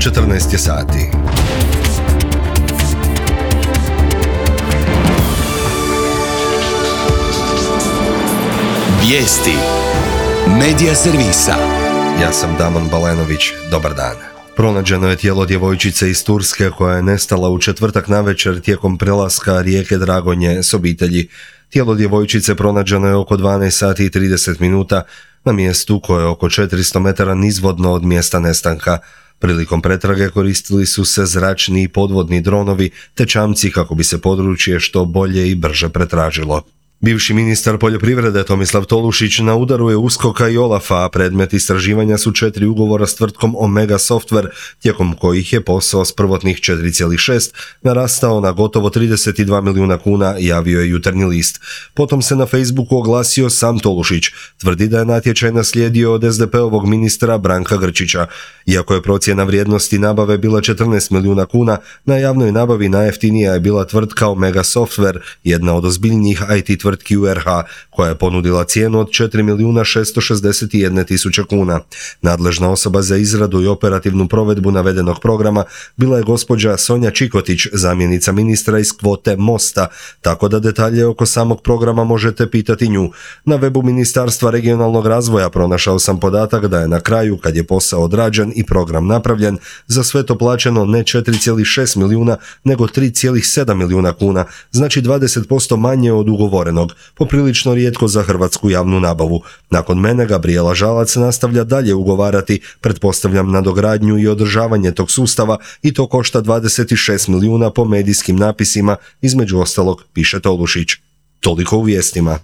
14 je sati. Vijesti Medija servisa. Ja sam Damon Balenović, dobar dan. Pronađeno je tijelo djevojčice iz Turske koja je nestala u četvrtak navečer tijekom prelaska rijeke Dragonje s obitelji. Tijelo djevojčice pronađeno je oko 12 sati i 30 minuta na mjestu koje je oko 400 metara nizvodno od mjesta nestanka. Prilikom pretrage koristili su se zračni i podvodni dronovi te čamci kako bi se područje što bolje i brže pretražilo. Bivši ministar poljoprivrede Tomislav Tolušić na udaru je USKOK-a i OLAF-a, a predmet istraživanja su 4 ugovora s tvrtkom Omega Software, tijekom kojih je posao s prvotnih 4,6 narastao na gotovo 32 milijuna kuna, javio je Jutarnji list. Potom se na Facebooku oglasio sam Tolušić. Tvrdi da je natječaj naslijedio od SDP-ovog ministra Branka Grčića. Iako je procjena vrijednosti nabave bila 14 milijuna kuna, na javnoj nabavi najjeftinija je bila tvrtka Omega Software, jedna od ozbiljnijih IT tvrtki u RH, koja je ponudila cijenu od 4.661.000 kuna. Nadležna osoba za izradu i operativnu provedbu navedenog programa bila je gospođa Sonja Čikotić, zamjenica ministra iz kvote Mosta, tako da detalje oko samog programa možete pitati nju. Na webu Ministarstva regionalnog razvoja pronašao sam podatak da je na kraju, kad je posao odrađen i program napravljen, za sve to plaćeno ne 4,6 milijuna, nego 3,7 milijuna kuna, znači 20% manje od ugovorenog, poprilično rijetko za hrvatsku javnu nabavu. Nakon mene Gabrijela Žalac nastavlja dalje ugovarati, pretpostavljam nadogradnju i održavanje tog sustava, i to košta 26 milijuna po medijskim napisima, između ostalog, piše Tolušić. Toliko u vijestima.